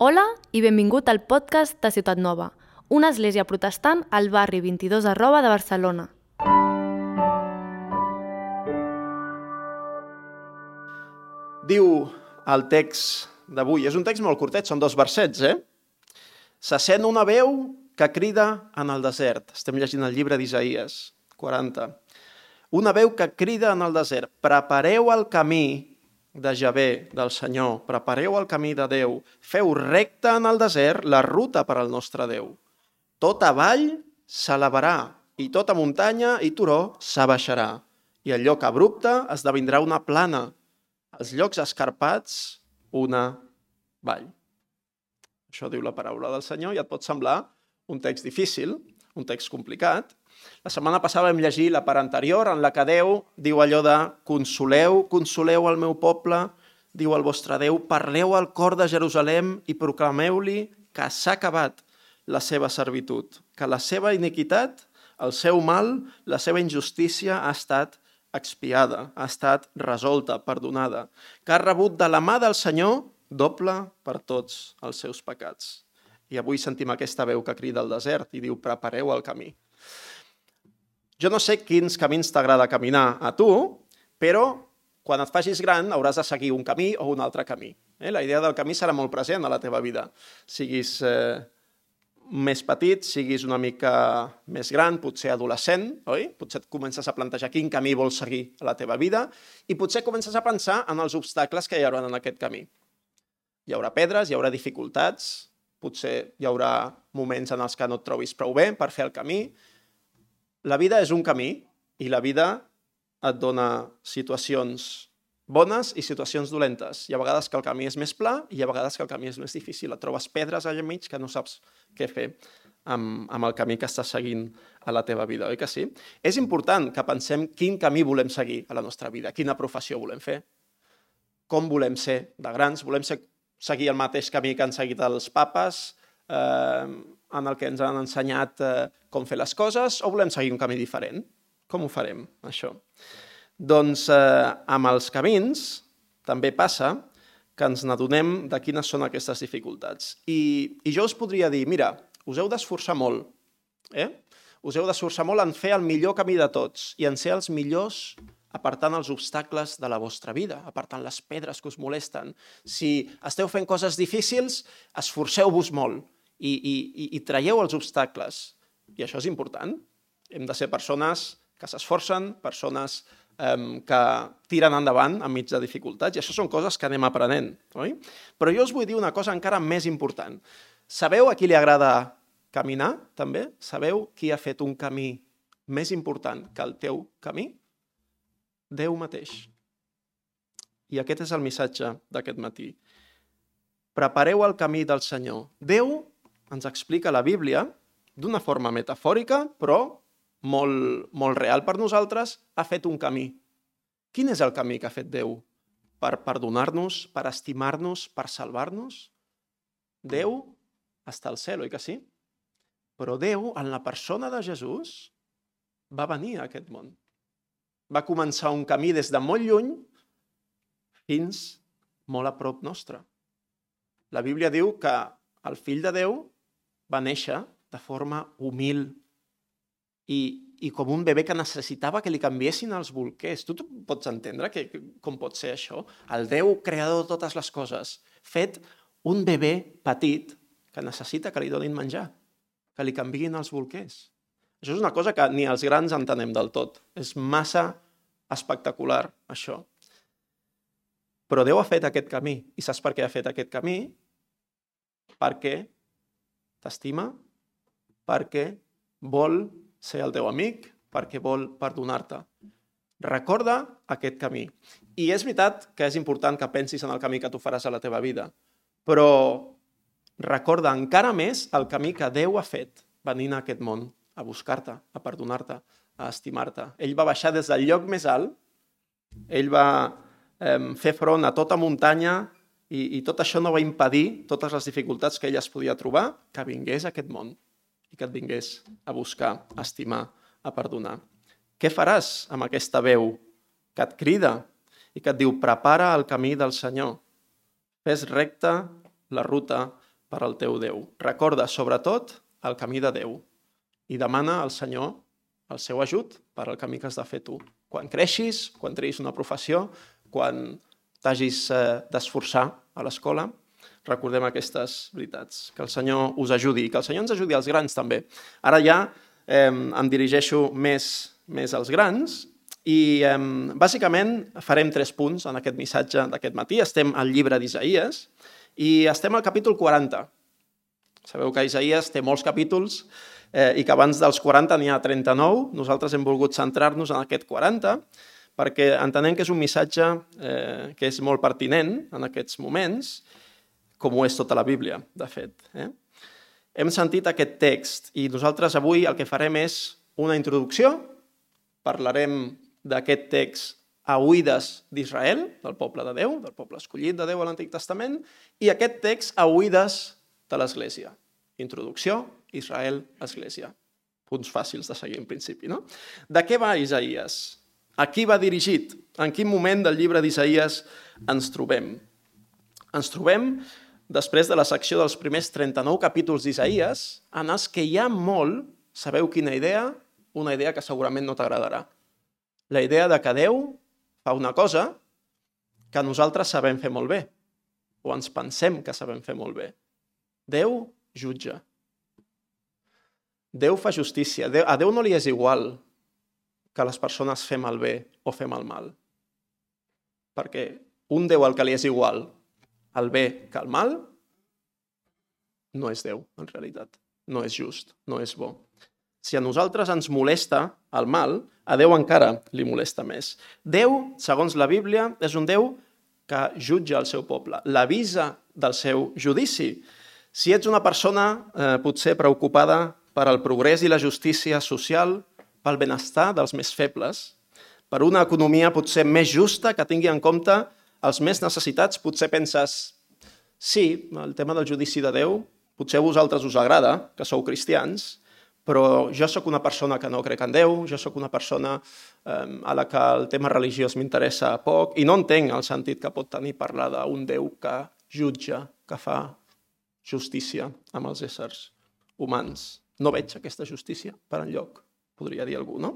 Hola i benvingut al podcast de Ciutat Nova, una església protestant al barri 22 Arroba de Barcelona. Diu el text d'avui, és un text molt curtet, són 2 versets, Se sent una veu que crida en el desert. Estem llegint el llibre d'Isaïes 40. Una veu que crida en el desert. Prepareu el camí de Javé, del Senyor. Prepareu el camí de Déu. Feu recte en el desert la ruta per al nostre Déu. Tota vall s'elevarà i tota muntanya i turó s'abaixarà. I el lloc abrupte esdevindrà una plana. Els llocs escarpats, una vall. Això diu la paraula del Senyor i et pot semblar un text difícil, un text complicat. La setmana passada vam llegir la part anterior en la que Déu diu allò de consoleu, consoleu el meu poble, diu el vostre Déu, parleu al cor de Jerusalem i proclameu-li que s'ha acabat la seva servitud, que la seva iniquitat, el seu mal, la seva injustícia ha estat expiada, ha estat resolta, perdonada, que ha rebut de la mà del Senyor doble per tots els seus pecats. I avui sentim aquesta veu que crida al desert i diu, prepareu el camí. Jo no sé quins camins t'agrada caminar a tu, però quan et facis gran hauràs de seguir un camí o un altre camí. La idea del camí serà molt present a la teva vida. Siguis més petit, siguis una mica més gran, potser adolescent, oi? Potser et comences a plantejar quin camí vols seguir a la teva vida i potser comences a pensar en els obstacles que hi haurà en aquest camí. Hi haurà pedres, hi haurà dificultats, potser hi haurà moments en els que no et trobis prou bé per fer el camí. La vida és un camí i la vida et dona situacions bones i situacions dolentes. Hi ha vegades que el camí és més pla i hi ha vegades que el camí és més difícil. Et trobes pedres allà enmig que no saps què fer amb el camí que estàs seguint a la teva vida, oi que sí? És important que pensem quin camí volem seguir a la nostra vida, quina professió volem fer, com volem ser de grans, volem seguir el mateix camí que han seguit els papes, en el que ens han ensenyat com fer les coses, o volem seguir un camí diferent? Com ho farem, això? Doncs amb els camins també passa que ens n'adonem de quines són aquestes dificultats. I jo us podria dir, mira, us heu d'esforçar molt, Us heu d'esforçar molt en fer el millor camí de tots i en ser els millors apartant els obstacles de la vostra vida, apartant les pedres que us molesten. Si esteu fent coses difícils, esforceu-vos molt i traieu els obstacles. I això és important. Hem de ser persones que s'esforcen, persones que tiren endavant enmig de dificultats, i això són coses que anem aprenent, oi? Però jo us vull dir una cosa encara més important. Sabeu a qui li agrada caminar, també? Sabeu qui ha fet un camí més important que el teu camí? Déu mateix. I aquest és el missatge d'aquest matí. Prepareu el camí del Senyor. Déu, ens explica la Bíblia, d'una forma metafòrica, però molt real per nosaltres, ha fet un camí. Quin és el camí que ha fet Déu? Per perdonar-nos, per estimar-nos, per salvar-nos? Déu està al cel, oi que sí? Però Déu, en la persona de Jesús, va venir a aquest món. Va començar un camí des de molt lluny fins molt a prop nostre. La Bíblia diu que el Fill de Déu va néixer de forma humil i com un bebè que necessitava que li canviessin els bolquers. Tu pots entendre com pot ser això? El Déu creador de totes les coses, fet un bebè petit que necessita que li donin menjar, que li canviïn els bolquers. Això és una cosa que ni els grans entenem del tot. És massa espectacular, això. Però Déu ha fet aquest camí. I saps per què ha fet aquest camí? Perquè t'estima, perquè vol ser el teu amic, perquè vol perdonar-te. Recorda aquest camí. I és veritat que és important que pensis en el camí que tu faràs a la teva vida, però recorda encara més el camí que Déu ha fet venint a aquest món a buscar-te, a perdonar-te, a estimar-te. Ell va baixar des del lloc més alt, ell va fer front a tota muntanya i tot això no va impedir totes les dificultats que ell es podia trobar, que vingués a aquest món i que et vingués a buscar, a estimar, a perdonar. Què faràs amb aquesta veu que et crida i que et diu prepara el camí del Senyor? Fes recta la ruta per al teu Déu. Recorda, sobretot, el camí de Déu i demana al Senyor el seu ajut per al camí que has de fer tu. Quan creixis, quan treguis una professió, quan t'hagis d'esforçar a l'escola, recordem aquestes veritats. Que el Senyor us ajudi i que el Senyor ens ajudi als grans també. Ara ja em dirigeixo més als grans i bàsicament farem 3 punts en aquest missatge d'aquest matí. Estem al llibre d'Isaïes i estem al capítol 40. Sabeu que Isaïes té molts capítols i que abans dels 40 n'hi ha 39. Nosaltres hem volgut centrar-nos en aquest 40 perquè entenem que és un missatge que és molt pertinent en aquests moments, com ho és tota la Bíblia, de fet. Hem sentit aquest text i nosaltres avui el que farem és una introducció. Parlarem d'aquest text a oïdes d'Israel, del poble de Déu, del poble escollit de Déu a l'Antic Testament, i aquest text a oïdes de l'Església. Introducció, Israel, Església. Punts fàcils de seguir en principi, no? De què va Isaïes? A qui va dirigit? En quin moment del llibre d'Isaïes ens trobem? Ens trobem després de la secció dels primers 39 capítols d'Isaïes, en els que hi ha molt, sabeu quina idea? Una idea que segurament no t'agradarà. La idea de que Déu fa una cosa que nosaltres sabem fer molt bé, o ens pensem que sabem fer molt bé. Déu jutja. Déu fa justícia. A Déu no li és igual que les persones fem el bé o fem el mal. Perquè un Déu al que li és igual el bé que el mal no és Déu, en realitat. No és just, no és bo. Si a nosaltres ens molesta el mal, a Déu encara li molesta més. Déu, segons la Bíblia, és un Déu que jutja el seu poble, l'avisa del seu judici. Si ets una persona potser preocupada per al progrés i la justícia social, pel benestar dels més febles, per una economia potser més justa que tingui en compte els més necessitats, potser penses, sí, el tema del judici de Déu, potser a vosaltres us agrada, que sou cristians, però jo sóc una persona que no crec en Déu, jo sóc una persona a la que el tema religiós m'interessa poc i no entenc el sentit que pot tenir parlar d'un Déu que jutja, que fa justícia amb els éssers humans. No veig aquesta justícia per enlloc, podria dir algú, no?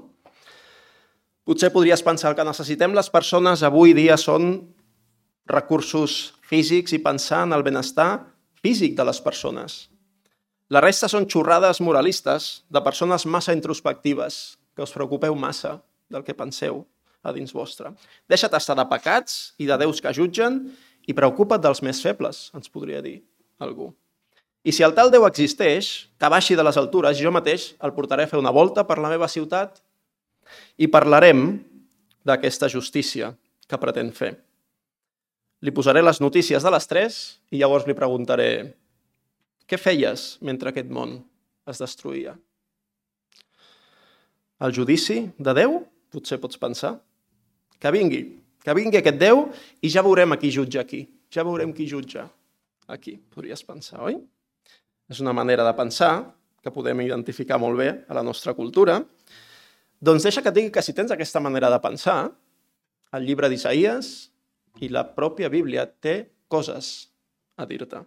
Potser podries pensar que necessitem les persones avui dia són recursos físics i pensar en el benestar físic de les persones. La resta són xorrades moralistes de persones massa introspectives, que us preocupeu massa del que penseu a dins vostre. Deixa't estar de pecats i de déus que jutgen i preocupa't dels més febles, ens podria dir algú. I si el tal Déu existeix, que baixi de les altures, jo mateix el portaré a fer una volta per la meva ciutat i parlarem d'aquesta justícia que pretén fer. Li posaré les notícies de les 3 i llavors li preguntaré què feies mentre aquest món es destruïa? El judici de Déu? Potser pots pensar. Que vingui aquest Déu i ja veurem a qui jutja aquí. Ja veurem qui jutja aquí, podries pensar, oi? És una manera de pensar que podem identificar molt bé a la nostra cultura. Doncs deixa que et digui que si tens aquesta manera de pensar, el llibre d'Isaïes i la pròpia Bíblia té coses a dir-te.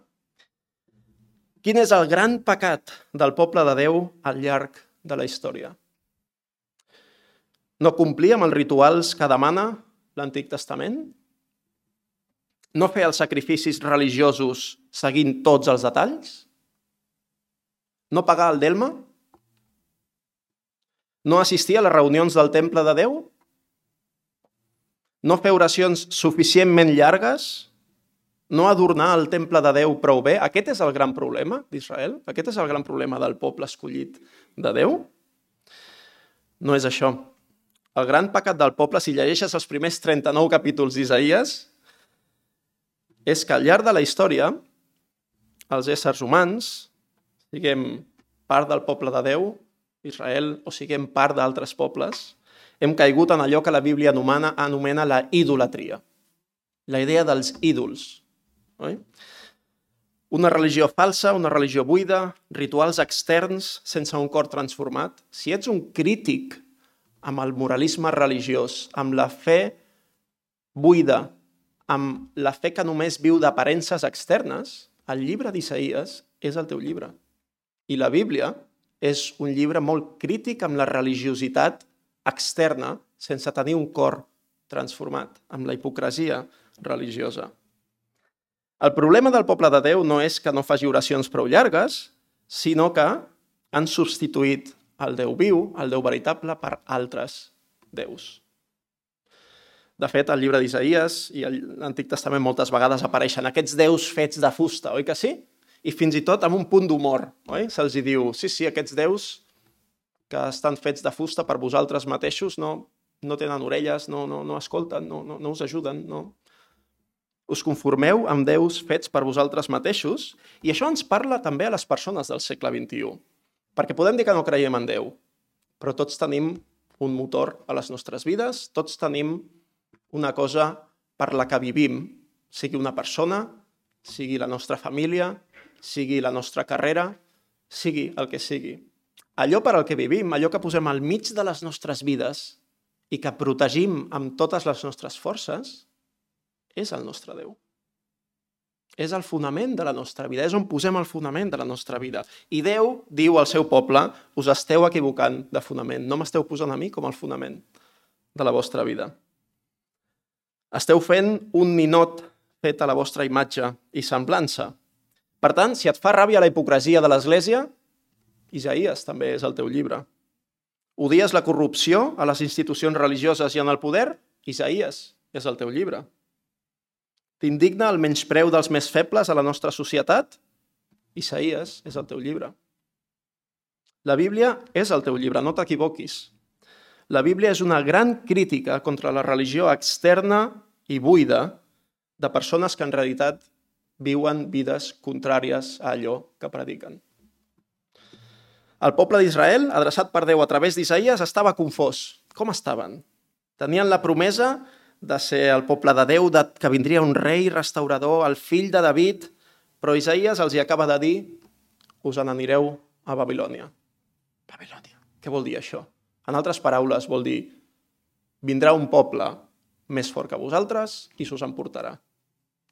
Quin és el gran pecat del poble de Déu al llarg de la història? No complir amb els rituals que demana l'Antic Testament? No fer els sacrificis religiosos seguint tots els detalls? No pagar el delme? No assistir a les reunions del temple de Déu? No fer oracions suficientment llargues? No adornar el temple de Déu prou bé? Aquest és el gran problema d'Israel? Aquest és el gran problema del poble escollit de Déu? No és això. El gran pecat del poble, si llegeixes els primers 39 capítols d'Isaïes, és que al llarg de la història, els éssers humans, siguem part del poble de Déu, Israel, o siguem part d'altres pobles, hem caigut en allò que la Bíblia anomena la idolatria. La idea dels ídols. Oi? Una religió falsa, una religió buida, rituals externs sense un cor transformat. Si ets un crític amb el moralisme religiós, amb la fe buida, amb la fe que només viu d'aparences externes, el llibre d'Isaïes és el teu llibre. I la Bíblia és un llibre molt crític amb la religiositat externa sense tenir un cor transformat, amb la hipocresia religiosa. El problema del poble de Déu no és que no faci oracions prou llargues, sinó que han substituït el Déu viu, el Déu veritable, per altres déus. De fet, al llibre d'Isaïes i a l'Antic Testament moltes vegades apareixen aquests déus fets de fusta, oi que sí? I fins i tot amb un punt d'humor, oi? Se'ls diu, sí, aquests déus que estan fets de fusta per vosaltres mateixos no tenen orelles, no escolten, no us ajuden, no. Us conformeu amb déus fets per vosaltres mateixos, i això ens parla també a les persones del segle XXI. Perquè podem dir que no creiem en Déu, però tots tenim un motor a les nostres vides, tots tenim una cosa per la que vivim, sigui una persona, sigui la nostra família, sigui la nostra carrera, sigui el que sigui. Allò per al que vivim, allò que posem al mig de les nostres vides i que protegim amb totes les nostres forces, és el nostre Déu. És el fonament de la nostra vida, és on posem el fonament de la nostra vida. I Déu diu al seu poble, us esteu equivocant de fonament, no m'esteu posant a mi com el fonament de la vostra vida. Esteu fent un ninot fet a la vostra imatge i semblança. Per tant, si et fa ràbia la hipocresia de l'Església, Isaïes també és el teu llibre. Odies la corrupció a les institucions religioses i en el poder? Isaïes és el teu llibre. T'indigna el menyspreu dels més febles a la nostra societat? Isaïes és el teu llibre. La Bíblia és el teu llibre, no t'equivoquis. La Bíblia és una gran crítica contra la religió externa i buida de persones que en realitat viuen vides contràries a allò que prediquen. El poble d'Israel, adreçat per Déu a través d'Isaïes, estava confós. Com estaven? Tenien la promesa de ser el poble de Déu, que vindria un rei restaurador, el fill de David, però Isaïes els hi acaba de dir, us n'anireu a Babilònia. Babilònia. Què vol dir això? En altres paraules, vol dir, vindrà un poble més fort que vosaltres i s'us emportarà.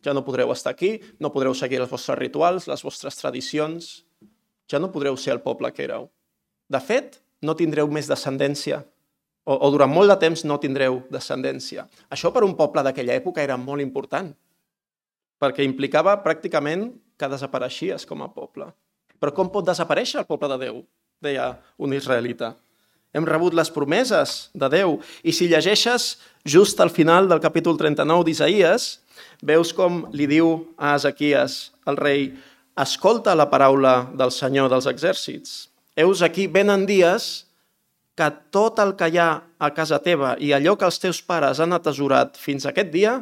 Ja no podreu estar aquí, no podreu seguir els vostres rituals, les vostres tradicions, ja no podreu ser el poble que éreu. De fet, no tindreu més descendència, o durant molt de temps no tindreu descendència. Això per un poble d'aquella època era molt important, perquè implicava pràcticament que desapareixies com a poble. Però com pot desaparèixer el poble de Déu? Deia un israelita. Hem rebut les promeses de Déu, i si llegeixes just al final del capítol 39 d'Isaïes, veus com li diu a Ezequies, el rei, escolta la paraula del Senyor dels exèrcits. Heus aquí venen dies que tot el que hi ha a casa teva i allò que els teus pares han atesorat fins a aquest dia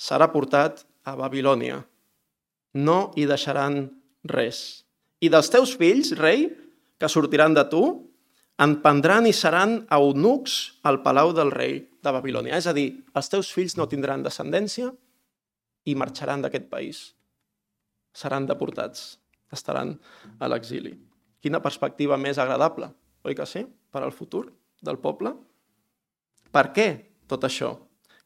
serà portat a Babilònia. No hi deixaran res. I dels teus fills, rei, que sortiran de tu, en prendran i seran eunucs al palau del rei de Babilònia. És a dir, els teus fills no tindran descendència i marxaran d'aquest país. Seran deportats, estaran a l'exili. Quina perspectiva més agradable, oi que sí? Per al futur del poble? Per què tot això?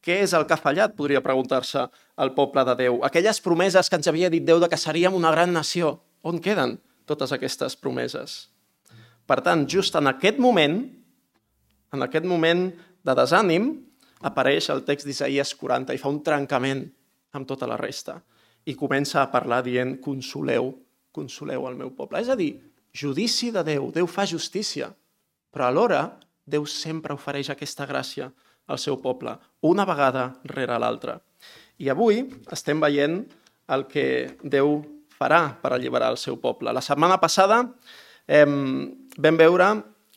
Què és el que ha fallat, podria preguntar-se el poble de Déu? Aquelles promeses que ens havia dit Déu de que seríem una gran nació, on queden totes aquestes promeses? Per tant, just en aquest moment de desànim, apareix el text d'Isaïes 40 i fa un trencament amb tota la resta i comença a parlar dient consoleu el meu poble. És a dir, judici de Déu, Déu fa justícia, però alhora Déu sempre ofereix aquesta gràcia al seu poble, una vegada rere l'altra. I avui estem veient el que Déu farà per alliberar el seu poble. La setmana passada vam veure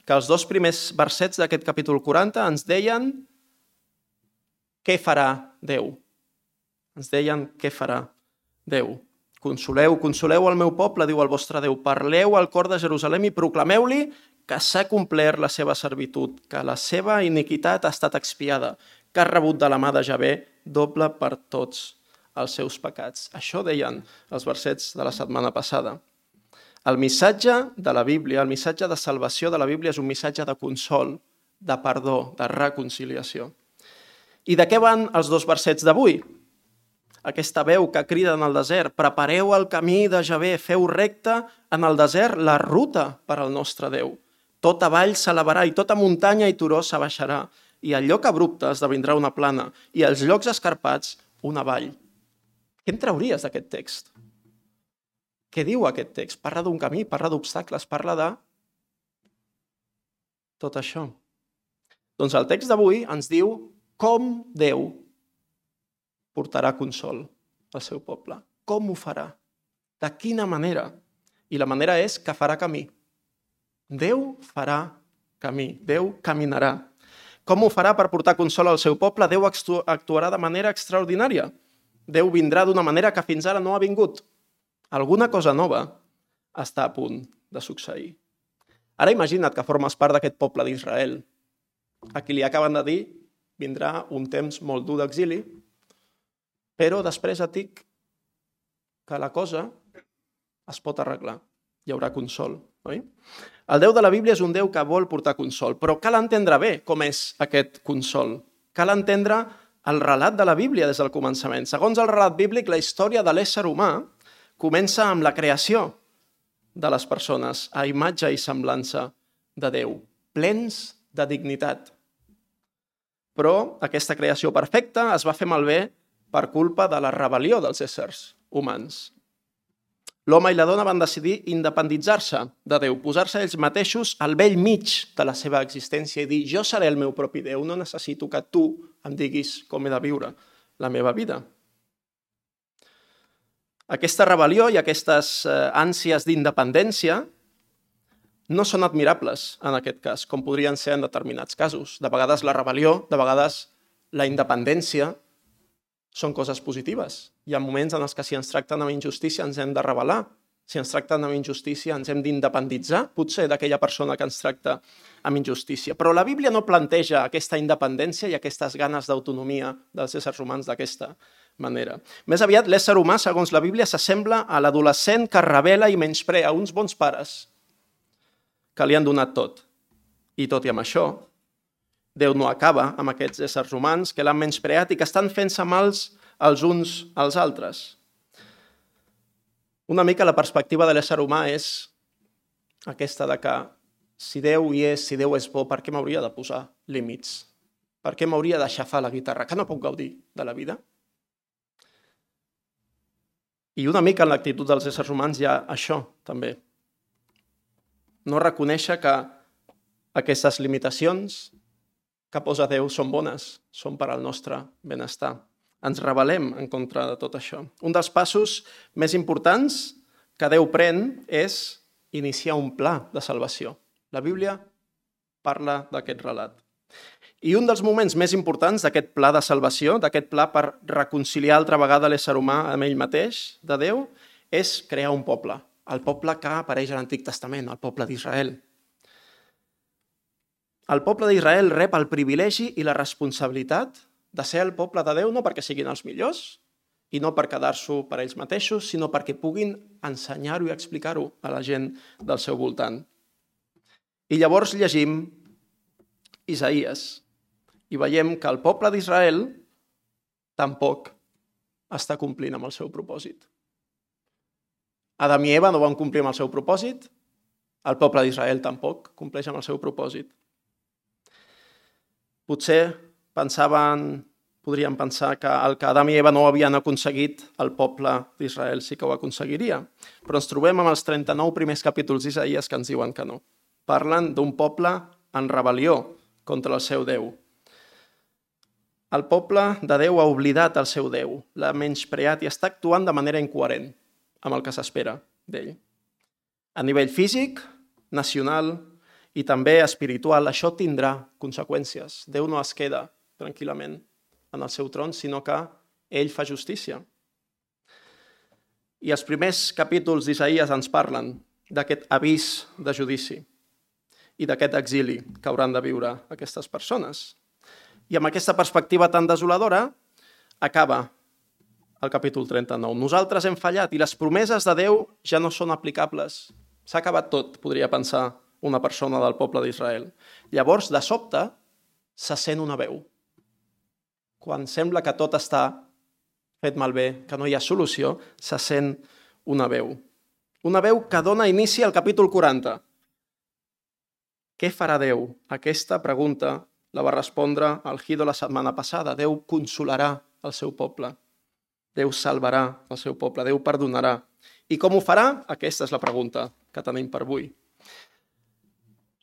que els 2 primers versets d'aquest capítol 40 ens deien què farà Déu. Ens deien què farà Déu. Consoleu el meu poble, diu el vostre Déu. Parleu al cor de Jerusalem i proclameu-li que s'ha complert la seva servitud, que la seva iniquitat ha estat expiada, que ha rebut de la mà de Javé doble per tots els seus pecats. Això deien els versets de la setmana passada. El missatge de la Bíblia, el missatge de salvació de la Bíblia és un missatge de consol, de perdó, de reconciliació. I de què van els 2 versets d'avui? aquesta veu que crida en el desert: prepareu el camí de Javé, feu recte en el desert la ruta per al nostre Déu. Tota vall s'elevarà i tota muntanya i turó s'abaixarà, i el lloc abrupte esdevindrà una plana, i els llocs escarpats una vall. Què en trauries d'aquest text? Què diu aquest text? Parla d'un camí, parla d'obstacles, parla de tot això. Doncs el text d'avui ens diu com Déu portarà consol al seu poble. Com ho farà? De quina manera? I la manera és que farà camí. Déu farà camí, Déu caminarà. Com ho farà per portar consol al seu poble? Déu actuarà de manera extraordinària. Déu vindrà d'una manera que fins ara no ha vingut. Alguna cosa nova està a punt de succeir. Ara imagina't que formes part d'aquest poble d'Israel. A qui li acaben de dir vindrà un temps molt dur d'exili, però després et dic que la cosa es pot arreglar. Hi haurà consol, oi? El Déu de la Bíblia és un Déu que vol portar consol, però cal entendre bé com és aquest consol. Cal entendre el relat de la Bíblia des del començament. Segons el relat bíblic, la història de l'ésser humà comença amb la creació de les persones a imatge i semblança de Déu, plens de dignitat. Però aquesta creació perfecta es va fer malbé per culpa de la rebel·lió dels éssers humans. L'home i la dona van decidir independitzar-se de Déu, posar-se ells mateixos al bell mig de la seva existència i dir: jo seré el meu propi Déu, no necessito que tu em diguis com he de viure la meva vida. Aquesta rebel·lió i aquestes ànsies d'independència no són admirables en aquest cas, com podrien ser en determinats casos. De vegades la rebel·lió, de vegades la independència són coses positives. Hi ha moments en els que si ens tracten amb injustícia ens hem de rebel·lar. Si ens tracten amb injustícia ens hem d'independitzar, potser d'aquella persona que ens tracta amb injustícia. Però la Bíblia no planteja aquesta independència i aquestes ganes d'autonomia dels éssers humans d'aquesta manera. Més aviat, l'ésser humà, segons la Bíblia, s'assembla a l'adolescent que rebel·la i menysprea uns bons pares que li han donat tot. I tot i amb això, Déu no acaba amb aquests éssers humans que l'han menyspreat i que estan fent-se mals els uns als altres. Una mica la perspectiva de l'ésser humà és aquesta de que si Déu hi és, si Déu és bo, per què m'hauria de posar límits? Per què m'hauria de xafar la guitarra? Que no puc gaudir de la vida? I una mica en l'actitud dels éssers humans hi ha això, també. No reconèixer que aquestes limitacions que posa Déu són bones, són per al nostre benestar. Ens rebel·lem en contra de tot això. Un dels passos més importants que Déu pren és iniciar un pla de salvació. La Bíblia parla d'aquest relat. I un dels moments més importants d'aquest pla de salvació, d'aquest pla per reconciliar altra vegada l'ésser humà amb ell mateix, de Déu, és crear un poble. El poble que apareix a l'Antic Testament, el poble d'Israel. El poble d'Israel rep el privilegi i la responsabilitat de ser el poble de Déu no perquè siguin els millors i no per quedar-s'ho per ells mateixos, sinó perquè puguin ensenyar-ho i explicar-ho a la gent del seu voltant. I llavors llegim Isaïes i veiem que el poble d'Israel tampoc està complint amb el seu propòsit. Adam i Eva no van complir amb el seu propòsit, el poble d'Israel tampoc compleix amb el seu propòsit. Potser podríem pensar que el que Adam i Eva no havien aconseguit, el poble d'Israel sí que ho aconseguiria. Però ens trobem amb els 39 primers capítols d'Isaïes que ens diuen que no. Parlen d'un poble en rebel·lió contra el seu Déu. El poble de Déu ha oblidat el seu Déu, l'ha menyspreat i està actuant de manera incoherent amb el que s'espera d'ell. A nivell físic, nacional i també espiritual, això tindrà conseqüències. Déu no es queda tranquil·lament en el seu tron, sinó que ell fa justícia. I els primers capítols d'Isaïes ens parlen d'aquest avís de judici i d'aquest exili que hauran de viure aquestes persones. I amb aquesta perspectiva tan desoladora acaba el capítol 39. Nosaltres hem fallat i les promeses de Déu ja no són aplicables. S'ha acabat tot, podria pensar una persona del poble d'Israel. Llavors, de sobte, se sent una veu. Quan sembla que tot està fet malbé, que no hi ha solució, se sent una veu. Una veu que dona inici al capítol 40. Què farà Déu? Aquesta pregunta la va respondre el Guido la setmana passada. Déu consolarà el seu poble. Déu salvarà el seu poble. Déu perdonarà. I com ho farà? Aquesta és la pregunta que tenim per avui.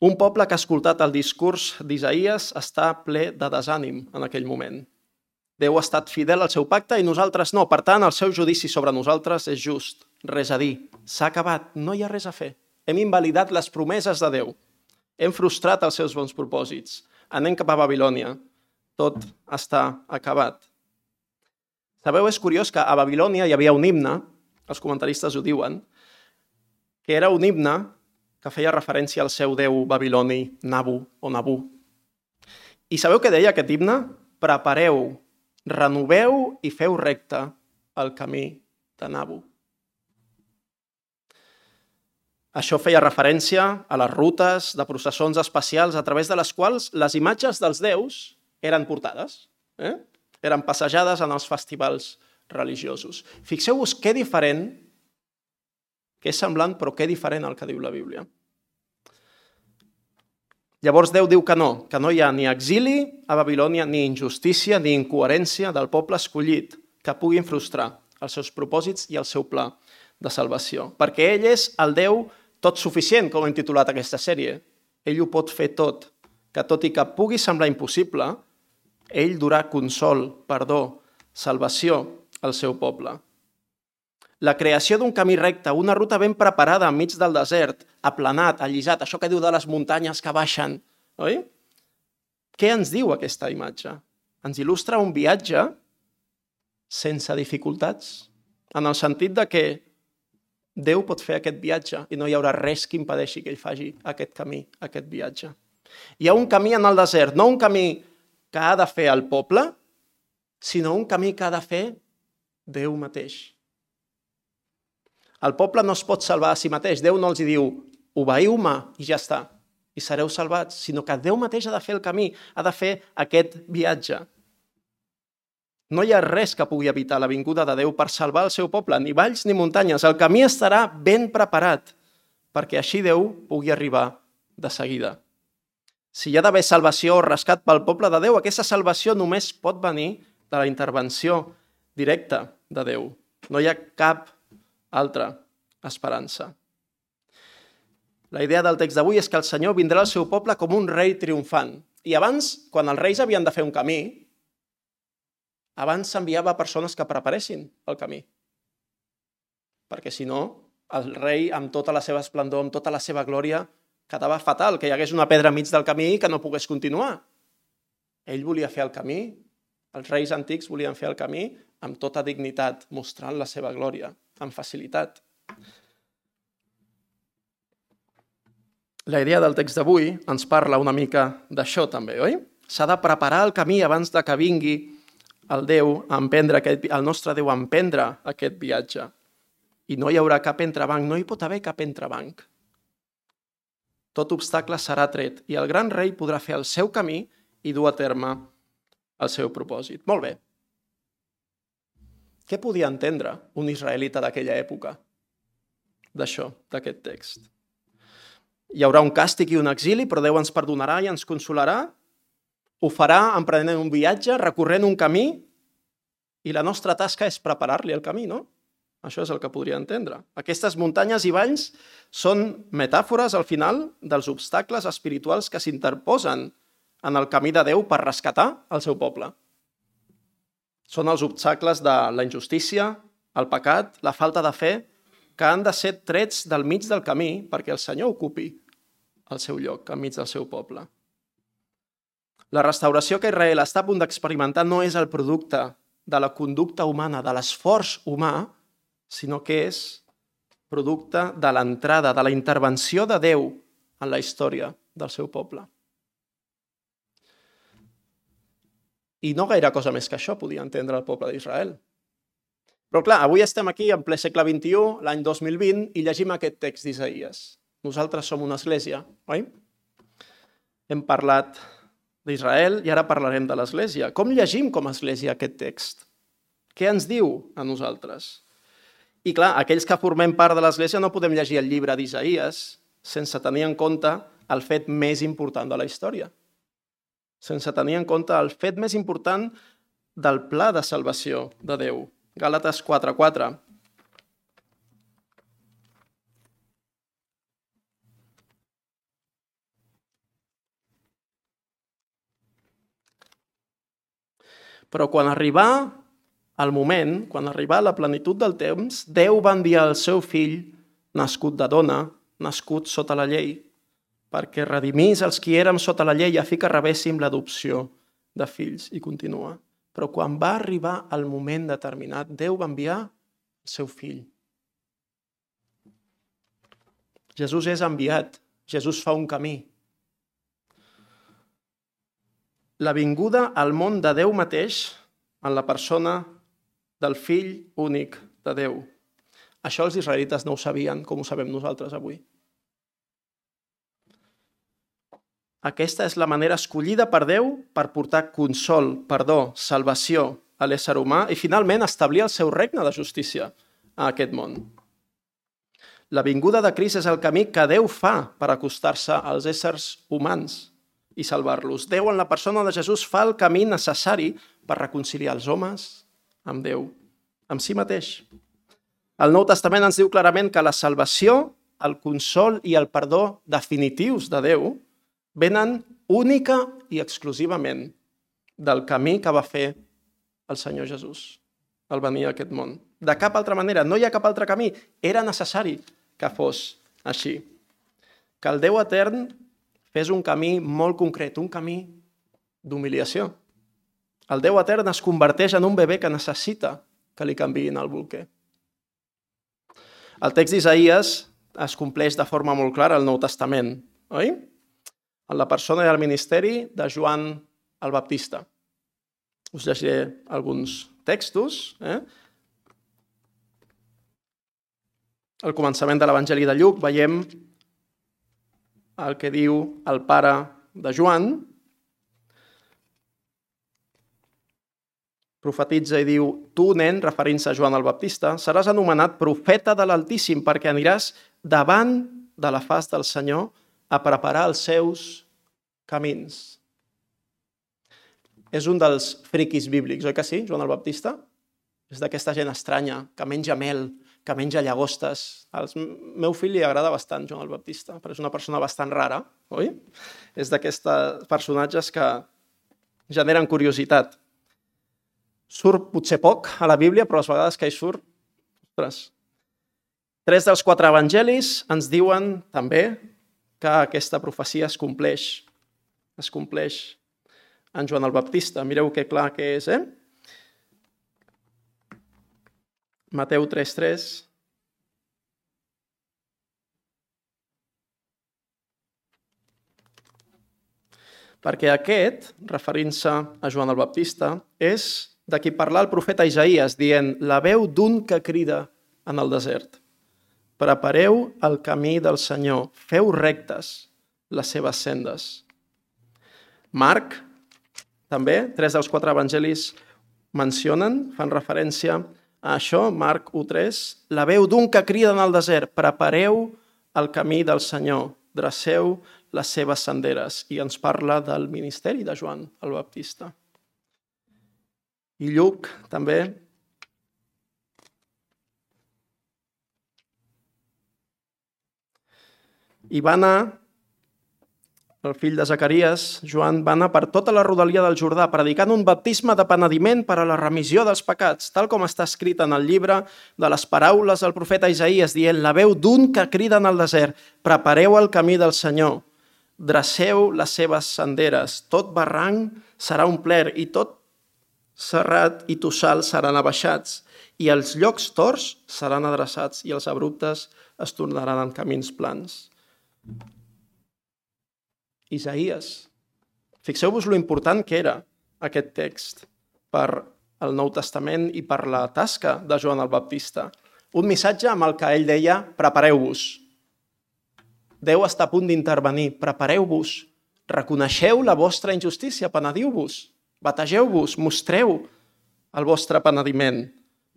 Un poble que ha escoltat el discurs d'Isaïes està ple de desànim en aquell moment. Déu ha estat fidel al seu pacte i nosaltres no. Per tant, el seu judici sobre nosaltres és just. Res a dir. S'ha acabat. No hi ha res a fer. Hem invalidat les promeses de Déu. Hem frustrat els seus bons propòsits. Anem cap a Babilònia. Tot està acabat. Sabeu, és curiós que a Babilònia hi havia un himne, els comentaristes ho diuen, que era un himne que feia referència al seu déu babiloni, Nabu o Nabú. I sabeu què deia aquest himne? Prepareu, renoveu i feu recte el camí de Nabu. Això feia referència a les rutes de processons especials a través de les quals les imatges dels déus eren portades, eren passejades en els festivals religiosos. Fixeu-vos que diferent, que és semblant però que diferent al que diu la Bíblia. Llavors Déu diu que no hi ha ni exili a Babilònia, ni injustícia, ni incoherència del poble escollit que puguin frustrar els seus propòsits i el seu pla de salvació. Perquè ell és el Déu tot suficient, com hem titulat aquesta sèrie. Ell ho pot fer tot, que tot i que pugui semblar impossible, ell durà consol, perdó, salvació al seu poble. La creació d'un camí recte, una ruta ben preparada enmig del desert, aplanat, allisat, això que diu de les muntanyes que baixen, oi? Què ens diu aquesta imatge? Ens il·lustra un viatge sense dificultats, en el sentit de que Déu pot fer aquest viatge i no hi haurà res que impedeixi que ell faci aquest camí, aquest viatge. Hi ha un camí en el desert, no un camí que ha de fer el poble, sinó un camí que ha de fer Déu mateix. El poble no es pot salvar a si mateix. Déu no els diu, obeïu-me i ja està, i sereu salvats, sinó que Déu mateix ha de fer el camí, ha de fer aquest viatge. No hi ha res que pugui evitar la vinguda de Déu per salvar el seu poble, ni valls ni muntanyes. El camí estarà ben preparat perquè així Déu pugui arribar de seguida. Si hi ha d'haver salvació o rescat pel poble de Déu, aquesta salvació només pot venir de la intervenció directa de Déu. No hi ha cap altra esperança. La idea del text d'avui és que el Senyor vindrà al seu poble com un rei triomfant. I abans, quan els reis havien de fer un camí, abans s'enviava persones que preparessin el camí. Perquè si no, el rei, amb tota la seva esplendor, amb tota la seva glòria, quedava fatal, que hi hagués una pedra enmig del camí i que no pogués continuar. Ell volia fer el camí, els reis antics volien fer el camí amb tota dignitat, mostrant la seva glòria, amb facilitat. La idea del text d'avui ens parla una mica d'això també, oi? S'ha de preparar el camí abans de que vingui el nostre Déu a emprendre aquest viatge. I no hi haurà cap entrebanc, no hi pot haver cap entrebanc. Tot obstacle serà tret i el gran rei podrà fer el seu camí i dur a terme el seu propòsit. Molt bé. Què podia entendre un israelita d'aquella època d'això, d'aquest text? Hi haurà un càstig i un exili, però Déu ens perdonarà i ens consolarà? Ho farà emprenent un viatge, recorrent un camí, i la nostra tasca és preparar-li el camí, no? Això és el que podria entendre. Aquestes muntanyes i valls són metàfores, al final, dels obstacles espirituals que s'interposen en el camí de Déu per rescatar el seu poble. Són els obstacles de la injustícia, el pecat, la falta de fe, que han de ser trets del mig del camí perquè el Senyor ocupi el seu lloc enmig del seu poble. La restauració que Israel està a punt d'experimentar no és el producte de la conducta humana, de l'esforç humà, sinó que és producte de l'entrada, de la intervenció de Déu en la història del seu poble. I no gaire cosa més que això podia entendre el poble d'Israel. Però clar, avui estem aquí en ple segle XXI, l'any 2020, i llegim aquest text d'Isaïes. Nosaltres som una església, oi? Hem parlat d'Israel i ara parlarem de l'Església. Com llegim com a Església aquest text? Què ens diu a nosaltres? I clar, aquells que formem part de l'Església no podem llegir el llibre d'Isaïes sense tenir en compte el fet més important de la història. Sense tenir en compte el fet més important del pla de salvació de Déu. Gàlates 4:4. Però quan arribà el moment, quan arribà la plenitud del temps, Déu va enviar el seu fill, nascut de dona, nascut sota la llei, perquè redimís els qui érem sota la llei a fi que rebéssim l'adopció de fills. I continua. Però quan va arribar el moment determinat, Déu va enviar el seu fill. Jesús és enviat, Jesús fa un camí. La vinguda al món de Déu mateix en la persona del fill únic de Déu. Això els israelites no ho sabien, com ho sabem nosaltres avui. Aquesta és la manera escollida per Déu per portar consol, perdó, salvació a l'ésser humà i finalment establir el seu regne de justícia a aquest món. La vinguda de Crist és el camí que Déu fa per acostar-se als éssers humans i salvar-los. Déu en la persona de Jesús fa el camí necessari per reconciliar els homes amb Déu, amb si mateix. El Nou Testament ens diu clarament que la salvació, el consol i el perdó definitius de Déu venen única i exclusivament del camí que va fer el Senyor Jesús al venir a aquest món. De cap altra manera, no hi ha cap altre camí. Era necessari que fos així. Que el Déu etern fes un camí molt concret, un camí d'humiliació. El Déu etern es converteix en un bebè que necessita que li canviïn el bolquer. El text d'Isaïes es compleix de forma molt clara al Nou Testament, oi? En la persona i el ministeri de Joan el Baptista. Us llegiré alguns textos. Al començament de l'Evangeli de Lluc veiem el que diu el pare de Joan. Profetitza i diu: tu, nen, referint-se a Joan el Baptista, seràs anomenat profeta de l'Altíssim perquè aniràs davant de la faç del Senyor a preparar els seus camins. És un dels friquis bíblics, oi que sí, Joan el Baptista? És d'aquesta gent estranya, que menja mel, que menja llagostes. Al meu fill li agrada bastant Joan el Baptista, però és una persona bastant rara, oi? És d'aquests personatges que generen curiositat. Surt potser poc a la Bíblia, però les vegades que hi surt, ostres. 3 dels 4 evangelis ens diuen també que aquesta profecia es compleix. Es compleix en Joan el Baptista. Mireu que clar que és, Mateu 3:3. Perquè aquest, referint-se a Joan el Baptista, és de qui parlà el profeta Isaïes, dient: la veu d'un que crida en el desert. Prepareu el camí del Senyor, feu rectes les seves sendes. Marc, també, 3 dels 4 evangelis mencionen, fan referència a això, Marc 1:3, la veu d'un que crida en el desert, prepareu el camí del Senyor, dreceu les seves senderes. I ens parla del ministeri de Joan el Baptista. I Lluc, també. I va anar, el fill de Zacaries, Joan, va anar per tota la rodalia del Jordà, predicant un baptisme de penediment per a la remissió dels pecats, tal com està escrit en el llibre de les paraules del profeta Isaïes, dient: la veu d'un que crida en el desert, prepareu el camí del Senyor, dreceu les seves senderes, tot barranc serà omplert i tot serrat i tossal seran abaixats, i els llocs torts seran adreçats i els abruptes es tornaran en camins plans. Isaïes. Fixeu-vos lo important que era aquest text per al Nou Testament i per la tasca de Joan el Baptista. Un missatge amb el que ell deia: prepareu-vos. Déu està a punt d'intervenir, prepareu-vos, reconeixeu la vostra injustícia, penediu-vos, bategeu-vos, mostreu el vostre penediment.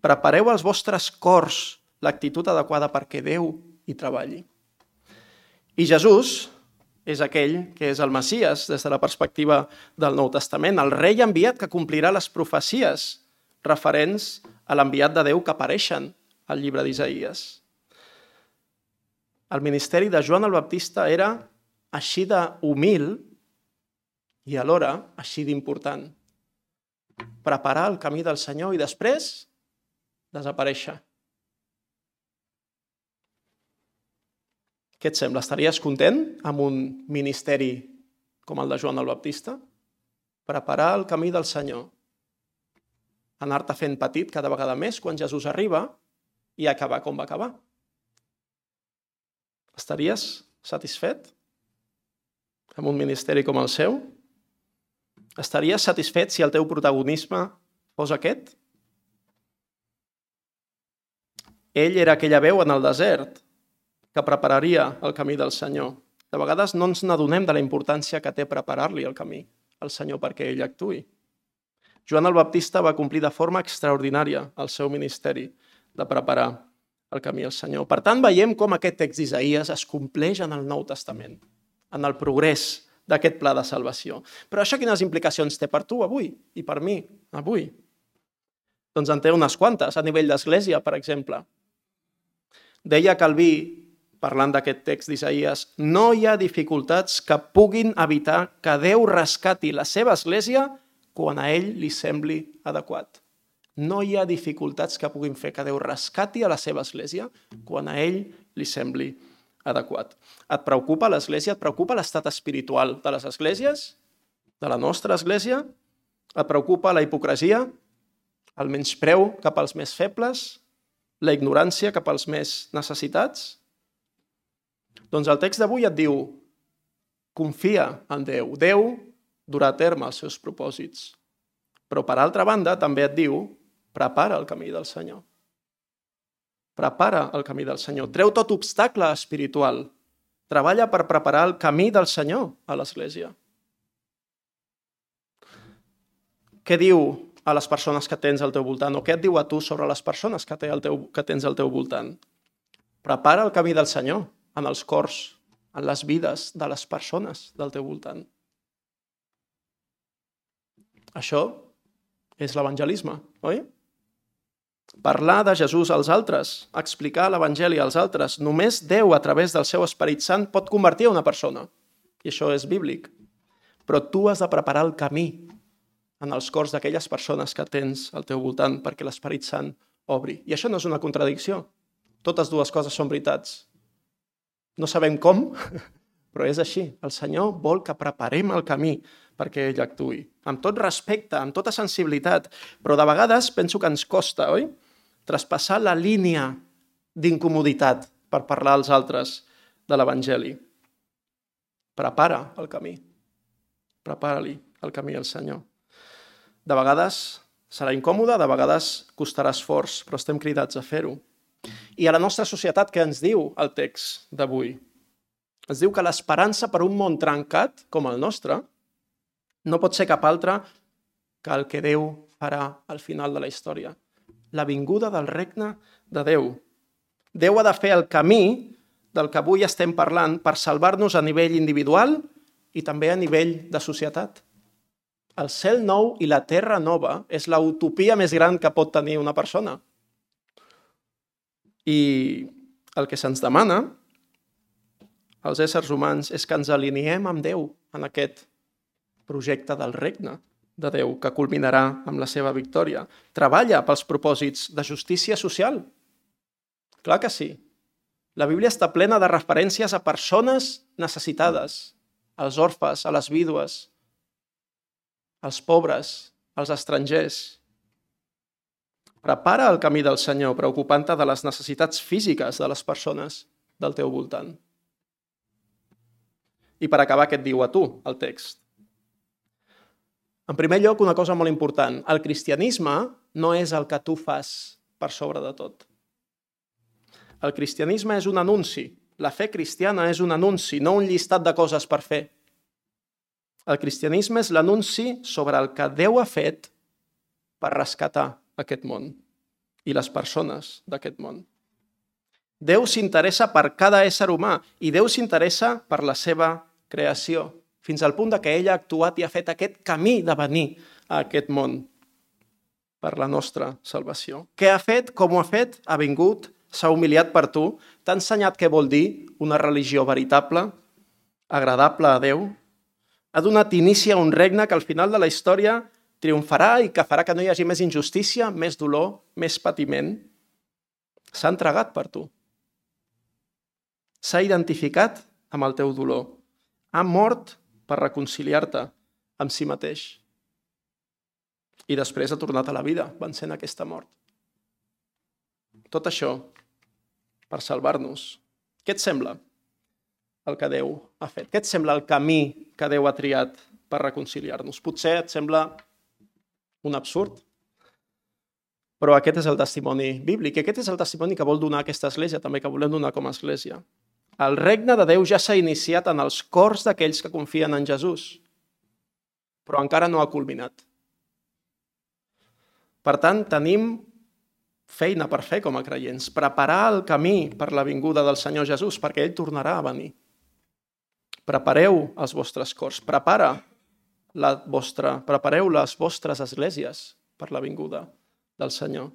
Prepareu els vostres cors l'actitud adequada perquè Déu hi treballi. I Jesús és aquell que és el Messies des de la perspectiva del Nou Testament, el rei enviat que complirà les profecies referents a l'enviat de Déu que apareixen al llibre d'Isaïes. El ministeri de Joan el Baptista era així d'humil i alhora així d'important. Preparar el camí del Senyor i després desaparèixer. Què et sembla? Estaries content amb un ministeri com el de Joan el Baptista? Preparar el camí del Senyor. Anar-te fent petit cada vegada més quan Jesús arriba i acabar com va acabar. Estaries satisfet amb un ministeri com el seu? Estaries satisfet si el teu protagonisme fos aquest? Ell era aquella veu en el desert que prepararia el camí del Senyor. De vegades no ens n'adonem de la importància que té preparar-li el camí al Senyor perquè ell actuï. Joan el Baptista va complir de forma extraordinària el seu ministeri de preparar el camí al Senyor. Per tant, veiem com aquest text d'Isaïes es compleix en el Nou Testament, en el progrés d'aquest pla de salvació. Però això quines implicacions té per tu avui i per mi avui? Doncs en té unes quantes, a nivell d'església, per exemple. Deia Calví, parlant d'aquest text d'Isaïes, no hi ha dificultats que puguin evitar que Déu rescati la seva església quan a ell li sembli adequat. No hi ha dificultats que puguin fer que Déu rescati a la seva església quan a ell li sembli adequat. Et preocupa l'església? Et preocupa l'estat espiritual de les esglésies? De la nostra església? Et preocupa la hipocresia? El menyspreu cap als més febles? La ignorància cap als més necessitats? Doncs el text d'avui et diu, confia en Déu. Déu durà a terme els seus propòsits. Però, per altra banda, també et diu, prepara el camí del Senyor. Prepara el camí del Senyor. Treu tot obstacle espiritual. Treballa per preparar el camí del Senyor a l'Església. Què diu a les persones que tens al teu voltant? O què et diu a tu sobre les persones que tens al teu voltant? Prepara el camí del Senyor en els cors, en les vides de les persones del teu voltant. Això és l'evangelisme, oi? Parlar de Jesús als altres, explicar l'evangeli als altres. Només Déu, a través del seu Esperit Sant, pot convertir una persona. I això és bíblic. Però tu has de preparar el camí en els cors d'aquelles persones que tens al teu voltant perquè l'Esperit Sant obri. I això no és una contradicció. Totes dues coses són veritats. No sabem com, però és així. El Senyor vol que preparem el camí perquè ell actuï. Amb tot respecte, amb tota sensibilitat. Però de vegades penso que ens costa, oi? Traspassar la línia d'incomoditat per parlar als altres de l'Evangeli. Prepara el camí. Prepara-li el camí al Senyor. De vegades serà incòmode, de vegades costarà esforç, però estem cridats a fer-ho. I a la nostra societat, què ens diu el text d'avui? Ens diu que l'esperança per un món trencat, com el nostre, no pot ser cap altre que el que Déu farà al final de la història. La vinguda del regne de Déu. Déu ha de fer el camí del que avui estem parlant per salvar-nos a nivell individual i també a nivell de societat. El cel nou i la terra nova és la utopia més gran que pot tenir una persona. I el que se'ns demana als éssers humans és que ens aliniem amb Déu en aquest projecte del regne de Déu que culminarà amb la seva victòria. Treballa pels propòsits de justícia social. Clar que sí. La Bíblia està plena de referències a persones necessitades, als orfes, a les vídues, als pobres, als estrangers. Prepara el camí del Senyor, preocupant-te de les necessitats físiques de les persones del teu voltant. I per acabar, què et diu a tu, el text? En primer lloc, una cosa molt important. El cristianisme no és el que tu fas per sobre de tot. El cristianisme és un anunci. La fe cristiana és un anunci, no un llistat de coses per fer. El cristianisme és l'anunci sobre el que Déu ha fet per rescatar aquest món i les persones d'aquest món. Déu s'interessa per cada ésser humà i Déu s'interessa per la seva creació, fins al punt que ell ha actuat i ha fet aquest camí de venir a aquest món per la nostra salvació. Què ha fet? Com ho ha fet? Ha vingut, s'ha humiliat per tu, t'ha ensenyat què vol dir una religió veritable, agradable a Déu, ha donat inici a un regne que al final de la història triomfarà i que farà que no hi hagi més injustícia, més dolor, més patiment. S'ha entregat per tu. S'ha identificat amb el teu dolor. Ha mort per reconciliar-te amb si mateix. I després ha tornat a la vida, vencent aquesta mort. Tot això per salvar-nos. Què et sembla el que Déu ha fet? Què et sembla el camí que Déu ha triat per reconciliar-nos? Potser et sembla un absurd, però aquest és el testimoni bíblic. Aquest és el testimoni que vol donar aquesta església, també que volem donar com a església. El regne de Déu ja s'ha iniciat en els cors d'aquells que confien en Jesús, però encara no ha culminat. Per tant, tenim feina per fer com a creients, preparar el camí per la vinguda del Senyor Jesús, perquè ell tornarà a venir. Prepareu els vostres cors, prepareu les vostres esglésies per la vinguda del Senyor.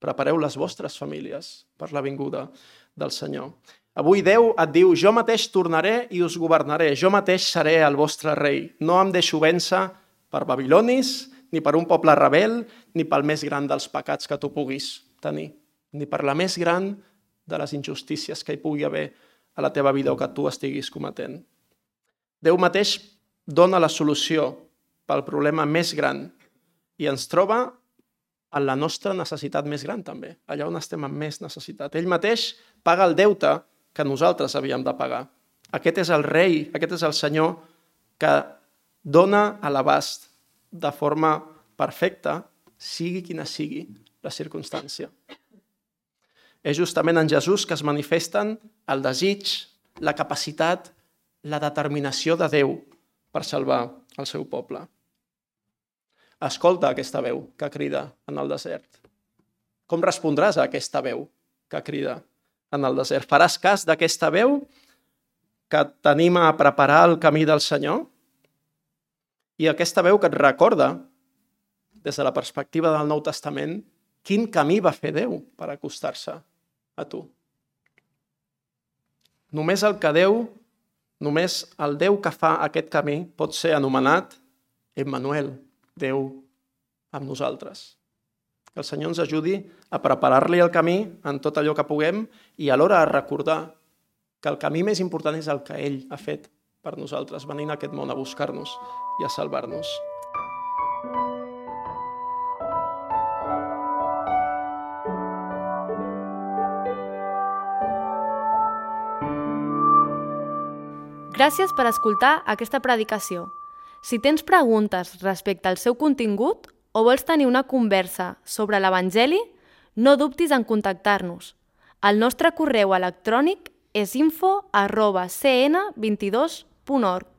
Prepareu les vostres famílies per la vinguda del Senyor. Avui Déu et diu, jo mateix tornaré i us governaré, jo mateix seré el vostre rei. No em deixo vèncer per babilonis, ni per un poble rebel, ni pel més gran dels pecats que tu puguis tenir, ni per la més gran de les injustícies que hi pugui haver a la teva vida o que tu estiguis cometent. Déu mateix dona la solució pel problema més gran i ens troba en la nostra necessitat més gran també, allà on estem amb més necessitat. Ell mateix paga el deute que nosaltres havíem de pagar. Aquest és el rei, aquest és el Senyor que dona a l'abast de forma perfecta, sigui quina sigui la circumstància. És justament en Jesús que es manifesten el desig, la capacitat, la determinació de Déu per salvar el seu poble. Escolta aquesta veu que crida en el desert. Com respondràs a aquesta veu que crida en el desert? Faràs cas d'aquesta veu que t'anima a preparar el camí del Senyor? I aquesta veu que et recorda, des de la perspectiva del Nou Testament, quin camí va fer Déu per acostar-se a tu. Només el Déu que fa aquest camí pot ser anomenat Emmanuel, Déu amb nosaltres. Que el Senyor ens ajudi a preparar-li el camí en tot allò que puguem i alhora a recordar que el camí més important és el que ell ha fet per nosaltres, venint a aquest món a buscar-nos i a salvar-nos. Gràcies per escoltar aquesta predicació. Si tens preguntes respecte al seu contingut o vols tenir una conversa sobre l'Evangeli, no dubtis en contactar-nos. El nostre correu electrònic és info@cn22.org.